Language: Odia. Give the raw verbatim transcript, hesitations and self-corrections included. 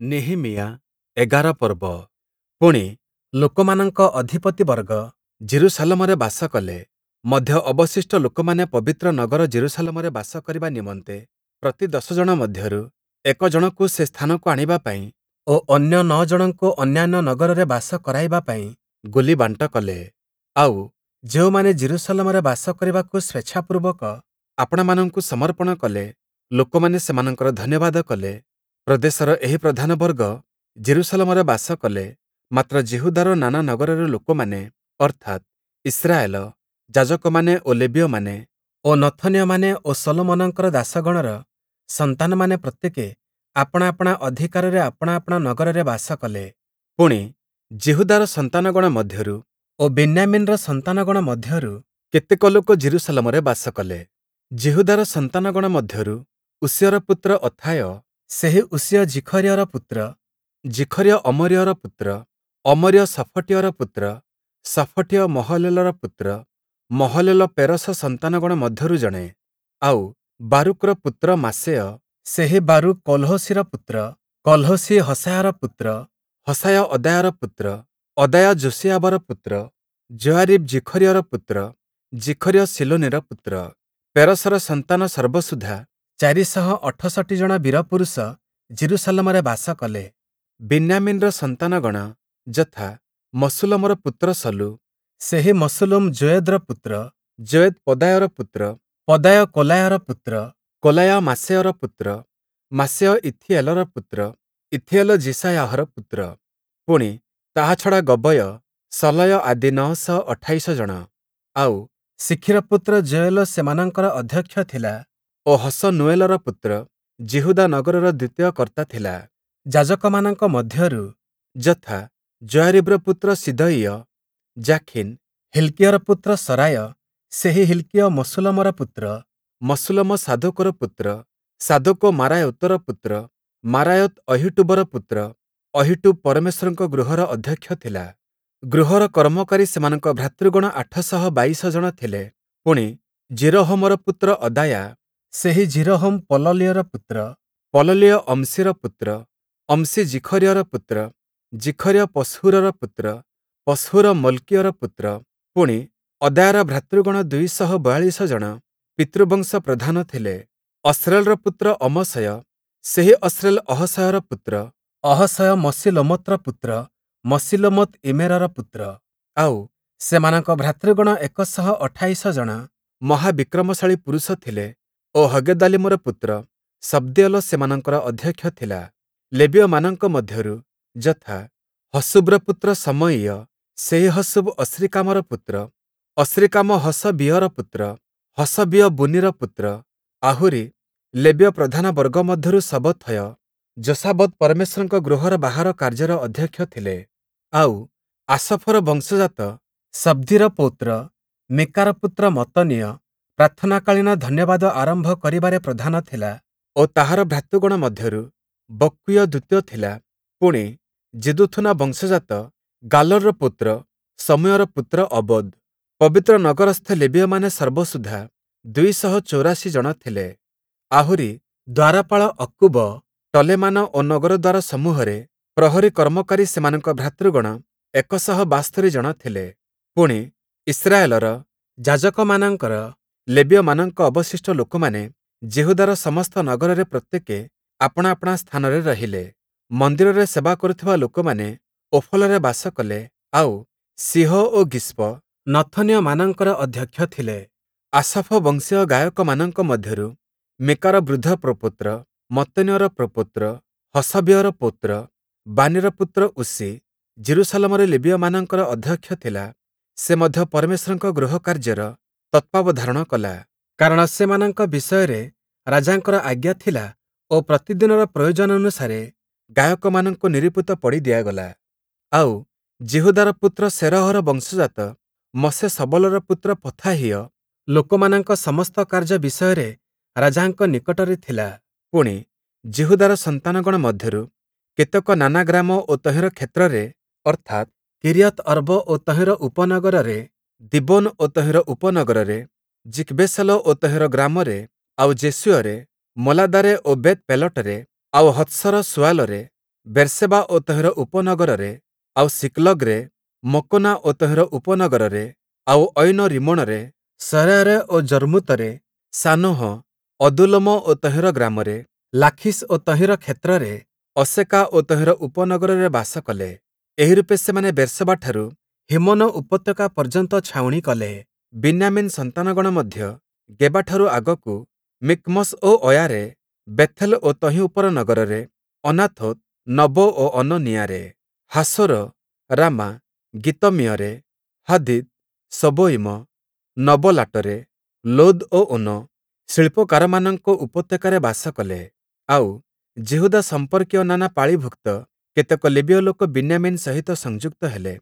ନିହିମୀୟା ଏଗାର ପର୍ବ। ପୁଣି, ଲୋକମାନଙ୍କ ଅଧିପତିବର୍ଗ ଯିରୂଶାଲମରେ ବାସ କଲେ। ମଧ୍ୟ ଅବଶିଷ୍ଟ ଲୋକମାନେ ପବିତ୍ର ନଗର ଯିରୂଶାଲମରେ ବାସ କରିବା ନିମନ୍ତେ ପ୍ରତି ଦଶ ଜଣ ମଧ୍ୟରୁ ଏକ ଜଣକୁ ସେ ସ୍ଥାନକୁ ଆଣିବା ପାଇଁ ଓ ଅନ୍ୟ ନଅ ଜଣଙ୍କୁ ଅନ୍ୟାନ୍ୟ ନଗରରେ ବାସ କରାଇବା ପାଇଁ ଗୁଲି ବାଣ୍ଟ କଲେ। ଆଉ ଯେଉଁମାନେ ଯିରୂଶାଲମରେ ବାସ କରିବାକୁ ସ୍ୱେଚ୍ଛାପୂର୍ବକ ଆପଣାମାନଙ୍କୁ ସମର୍ପଣ କଲେ, ଲୋକମାନେ ସେମାନଙ୍କର ଧନ୍ୟବାଦ କଲେ। ପ୍ରଦେଶର ଏହି ପ୍ରଧାନ ବର୍ଗ ଯିରୂଶାଲମରେ ବାସ କଲେ। ମାତ୍ର ଯିହୁଦାର ନାନା ନଗରର ଲୋକମାନେ, ଅର୍ଥାତ୍, ଇସ୍ରାଏଲ, ଯାଜକମାନେ ଓ ଲେବୀୟମାନେ ଓ ନଥନୀୟମାନେ ଓ ଶଲୋମନଙ୍କର ଦାସଗଣର ସନ୍ତାନମାନେ ପ୍ରତ୍ୟେକେ ଆପଣା ଆପଣା ଅଧିକାରରେ ଆପଣା ଆପଣା ନଗରରେ ବାସ କଲେ। ପୁଣି, ଯିହୁଦାର ସନ୍ତାନଗଣ ମଧ୍ୟରୁ ଓ ବିନ୍ୟାମୀନର ସନ୍ତାନଗଣ ମଧ୍ୟରୁ କେତେକ ଲୋକ ଯିରୂଶାଲମରେ ବାସ କଲେ। ଯିହୁଦାର ସନ୍ତାନଗଣ ମଧ୍ୟରୁ ଉଷିୟର ପୁତ୍ର ଅଥାୟ, ସେହି ଉଷିୟ ଜିଖରିୟର ପୁତ୍ର, ଜିଖରିୟ ଅମରିୟର ପୁତ୍ର, ଅମରିୟ ଶଫଟୀୟର ପୁତ୍ର, ଶଫଟୀୟ ମହଲଲେଲର ପୁତ୍ର, ମହଲଲେଲ ପେରସ ସନ୍ତାନଗଣ ମଧ୍ୟରୁ ଜଣେ। ଆଉ ବାରୁକ୍‌ର ପୁତ୍ର ମାସେୟ, ସେହି ବାରୁକ୍ କଲ୍‌ହୋସିର ପୁତ୍ର, କଲ୍‌ହୋସି ହସାୟର ପୁତ୍ର, ହସାୟ ଅଦାୟର ପୁତ୍ର, ଅଦାୟ ଯୋଶିୟାବର ପୁତ୍ର, ଯୋୟାରୀବ୍ ଜିଖରିୟର ପୁତ୍ର, ଜିଖରିୟ ଶୀଲୋନୀର ପୁତ୍ର। ପେରସର ସନ୍ତାନ ସର୍ବସୁଦ୍ଧା ଚାରି ଶହ ଅଠଷଠି ଜଣ ବୀରପୁରୁଷ ଯିରୂଶାଲମରେ ବାସ କଲେ। ବିନ୍ୟାମୀନ୍‌ର ସନ୍ତାନଗଣ ଯଥା, ମଶୁଲ୍ଲମର ପୁତ୍ର ସଲୁ, ସେହି ମଶୁଲ୍ଲମ୍ ଯୋୟେଦ୍‌ର ପୁତ୍ର, ଯୋୟେଦ୍ ପଦାୟର ପୁତ୍ର, ପଦାୟ କୋଲାୟର ପୁତ୍ର, କୋଲାୟ ମାସେୟର ପୁତ୍ର, ମାସେୟ ଇଥୀଏଲର ପୁତ୍ର, ଇଥୀଏଲ ଯିଶାୟାହର ପୁତ୍ର। ପୁଣି, ତାହା ଛଡ଼ା ଗବୟ, ସଲୟ ଆଦି ନଅ ଶହ ଅଠାଇଶ ଜଣ। ଆଉ ଶିଖ୍ରୀର ପୁତ୍ର ଯୋୟେଲ ସେମାନଙ୍କର ଅଧ୍ୟକ୍ଷ ଥିଲା ଓ ହସନୂଏଲର ପୁତ୍ର ଯିହୁଦା ନଗରର ଦ୍ୱିତୀୟ କର୍ତ୍ତା ଥିଲା। ଯାଜକମାନଙ୍କ ମଧ୍ୟରୁ ଯଥା, ଯୋୟାରୀବ୍‌ର ପୁତ୍ର ସିଦୟୀୟ, ଯାଖୀନ୍, ହିଲ୍କିୟର ପୁତ୍ର ସରାୟ, ସେହି ହିଲ୍କିୟ ମଶୁଲ୍ଲମର ପୁତ୍ର, ମଶୁଲ୍ଲମ ସାଦୋକର ପୁତ୍ର, ସାଦୋକ ମାରାୟୋତର ପୁତ୍ର, ମାରାୟୋତ୍ ଅହୀଟୂବର ପୁତ୍ର, ଅହୀଟୂବ୍ ପରମେଶ୍ୱରଙ୍କ ଗୃହର ଅଧ୍ୟକ୍ଷ ଥିଲା। ଗୃହର କର୍ମକାରୀ ସେମାନଙ୍କ ଭ୍ରାତୃଗଣ ଆଠ ଶହ ବାଇଶ ଜଣ ଥିଲେ। ପୁଣି, ଯିରୋହମର ପୁତ୍ର ଅଦାୟା, ସେହି ଯିରୋହମ୍ ପଲଲୀୟର ପୁତ୍ର, ପଲଲୀୟ ଅମ୍‌ସିର ପୁତ୍ର, ଅମ୍‌ସି ଜିଖରିୟର ପୁତ୍ର, ଜିଖରିୟ ପଶ୍‌ହୂରର ପୁତ୍ର, ପଶ୍‌ହୂର ମଲ୍‌କୀୟର ପୁତ୍ର। ପୁଣି, ଅଦାୟାର ଭ୍ରାତୃଗଣ ଦୁଇ ଶହ ବୟାଳିଶ ଜଣ ପିତୃବଂଶ ପ୍ରଧାନ ଥିଲେ। ଅସ୍ରେଲର ପୁତ୍ର ଅମଶୟ, ସେହି ଅସ୍ରେଲ ଅହସୟର ପୁତ୍ର, ଅହସୟ ମଶିଲ୍ଲୋମତ୍ର ପୁତ୍ର, ମଶିଲ୍ଲୋମୋତ୍ ଇମ୍ମେରର ପୁତ୍ର। ଆଉ ସେମାନଙ୍କ ଭ୍ରାତୃଗଣ ଏକ ଶହ ଅଠାଇଶ ଜଣ ମହାବିକ୍ରମଶାଳୀ ପୁରୁଷ ଥିଲେ ଓ ହଗେଦାଲୀମର ପୁତ୍ର ସବ୍ଦୀୟେଲ ସେମାନଙ୍କର ଅଧ୍ୟକ୍ଷ ଥିଲା। ଲେବୀୟମାନଙ୍କ ମଧ୍ୟରୁ ଯଥା, ହଶୂବ୍‌ର ପୁତ୍ର ଶମୟୀୟ, ସେହି ହଶୂବ୍ ଅସ୍ରୀକାମର ପୁତ୍ର, ଅସ୍ରୀକାମ ହଶବୀୟର ପୁତ୍ର, ହଶବୀୟ ବୁନୀର ପୁତ୍ର। ଆହୁରି ଲେବୀୟ ପ୍ରଧାନ ବର୍ଗ ମଧ୍ୟରୁ ଶବଥୟ, ଯୋଶାବଦ୍ ପରମେଶ୍ୱରଙ୍କ ଗୃହର ବାହାର କାର୍ଯ୍ୟର ଅଧ୍ୟକ୍ଷ ଥିଲେ। ଆଉ ଆସଫର ବଂଶଜାତ ସବ୍ଦୀର ପୌତ୍ର ମୀକାର ପୁତ୍ର ମତ୍ତନୀୟ ପ୍ରାର୍ଥନାକାଳୀନ ଧନ୍ୟବାଦ ଆରମ୍ଭ କରିବାରେ ପ୍ରଧାନ ଥିଲା ଓ ତାହାର ଭ୍ରାତୃଗଣ ମଧ୍ୟରୁ ବକ୍କୀୟ ଦ୍ୱିତୀୟ ଥିଲା। ପୁଣି, ଯିଦୂଥୂନ ବଂଶଜାତ ଗାଲଲ୍‌ର ପୁତ୍ର ଶମୂୟର ପୁତ୍ର ଅବୋଦ୍। ପବିତ୍ର ନଗରସ୍ଥ ଲେବୀୟମାନେ ସର୍ବସୁଦ୍ଧା ଦୁଇ ଶହ ଚୌରାଶି ଜଣ ଥିଲେ। ଆହୁରି ଦ୍ୱାରପାଳ ଅକ୍କୂବ, ଟଲେମାନ ଓ ନଗର ଦ୍ୱାର ସମୂହରେ ପ୍ରହରୀ କର୍ମକାରୀ ସେମାନଙ୍କ ଭ୍ରାତୃଗଣ ଏକ ଶହ ବାସ୍ତରି ଜଣ ଥିଲେ। ପୁଣି, ଇସ୍ରାଏଲର ଯାଜକମାନଙ୍କର ଲେବୀୟମାନଙ୍କ ଅବଶିଷ୍ଟ ଲୋକମାନେ ଯିହୁଦାର ସମସ୍ତ ନଗରରେ ପ୍ରତ୍ୟେକେ ଆପଣା ଆପଣା ସ୍ଥାନରେ ରହିଲେ। ମନ୍ଦିରରେ ସେବା କରୁଥିବା ଲୋକମାନେ ଓଫଲରେ ବାସ କଲେ। ଆଉ ସୀହ ଓ ଗିଷ୍ପ ନଥନୀୟମାନଙ୍କର ଅଧ୍ୟକ୍ଷ ଥିଲେ। ଆସଫ ବଂଶୀୟ ଗାୟକମାନଙ୍କ ମଧ୍ୟରୁ ମୀକାର ବୃଦ୍ଧ ପ୍ରପୌତ୍ର, ମତ୍ତନୀୟର ପ୍ରପୌତ୍ର, ହଶବୀୟର ପୌତ୍ର, ବାନୀର ପୁତ୍ର ଉଷି ଯିରୂଶାଲମରେ ଲେବୀୟମାନଙ୍କର ଅଧ୍ୟକ୍ଷ ଥିଲା। ସେ ମଧ୍ୟ ପରମେଶ୍ୱରଙ୍କ ଗୃହ କାର୍ଯ୍ୟର ତତ୍ତ୍ୱାବଧାରଣ କଲା। କାରଣ ସେମାନଙ୍କ ବିଷୟରେ ରାଜାଙ୍କର ଆଜ୍ଞା ଥିଲା ଓ ପ୍ରତିଦିନର ପ୍ରୟୋଜନାନୁସାରେ ଗାୟକମାନଙ୍କୁ ନିରୂପିତ ପଡ଼ି ଦିଆଗଲା। ଆଉ ଯିହୁଦାର ପୁତ୍ର ସେରହର ବଂଶଜାତ ମଶେଶବଲର ପୁତ୍ର ପଥାହିୟ ଲୋକମାନଙ୍କ ସମସ୍ତ କାର୍ଯ୍ୟ ବିଷୟରେ ରାଜାଙ୍କ ନିକଟରେ ଥିଲା। ପୁଣି, ଯିହୁଦାର ସନ୍ତାନଗଣ ମଧ୍ୟରୁ କେତେକ ନାନା ଗ୍ରାମ ଓ ତହିଁର କ୍ଷେତ୍ରରେ, ଅର୍ଥାତ୍, କିରିୟଥ୍‌ଅର୍ବ ଓ ତହିଁର ଉପନଗରରେ, ଦୀବୋନ ଓ ତହିଁର ଉପନଗରରେ, ଯିକ୍‌ବେସେଲ ଓ ତହିଁର ଗ୍ରାମରେ, ଆଉ ଯେଶୂୟରେ, ମୋଲାଦାରେ ଓ ବେଥ୍‌ପେଲଟରେ, ଆଉ ହତ୍ସର ଶୂଆଲରେ, ବେର୍‌ସେବା ଓ ତହିଁର ଉପନଗରରେ, ଆଉ ସିକ୍ଲଗ୍‌ରେ, ମକୋନା ଓ ତହିଁର ଉପନଗରରେ, ଆଉ ଐନ-ରିମ୍ମୋଣରେ, ସରେୟରେ ଓ ଯର୍ମୂତରେ, ସାନୋହ, ଅଦୁଲ୍ଲମ ଓ ତହିଁର ଗ୍ରାମରେ, ଲାଖିଶ୍ ଓ ତହିଁର କ୍ଷେତ୍ରରେ, ଅସେକା ଓ ତହିଁର ଉପନଗରରେ ବାସ କଲେ। ଏହି ରୂପେ ସେମାନେ ବେର୍‌ସେବାଠାରୁ ହିମ୍ମୋନ ଉପତ୍ୟକା ପର୍ଯ୍ୟନ୍ତ ଛାଉଣି କଲେ। ବିନ୍ୟାମୀନ୍ ସନ୍ତାନଗଣ ମଧ୍ୟ ଗେବାଠାରୁ ଆଗକୁ ମିକ୍ମସ୍ ଓ ଅୟାରେ, ବେଥେଲ ଓ ତହିଁ ଉପର ନଗରରେ, ଅନାଥୋତ୍, ନବୋ ଓ ଅନନୀୟାରେ, ହାସୋର, ରାମା, ଗିତ୍ତମୀୟରେ, ହାଦୀଦ୍, ସବୋୟୀମ, ନବଲାଟରେ, ଲୋଦ୍ ଓ ଓନୋ, ଶିଳ୍ପକାରମାନଙ୍କ ଉପତ୍ୟକାରେ ବାସ କଲେ। ଆଉ, ଯିହୁଦା ସମ୍ପର୍କୀୟ ନାନା ପାଳିଭୁକ୍ତ କେତେକ ଲେବୀୟ ଲୋକ ବିନ୍ୟାମୀନ୍ ସହିତ ସଂଯୁକ୍ତ ହେଲେ।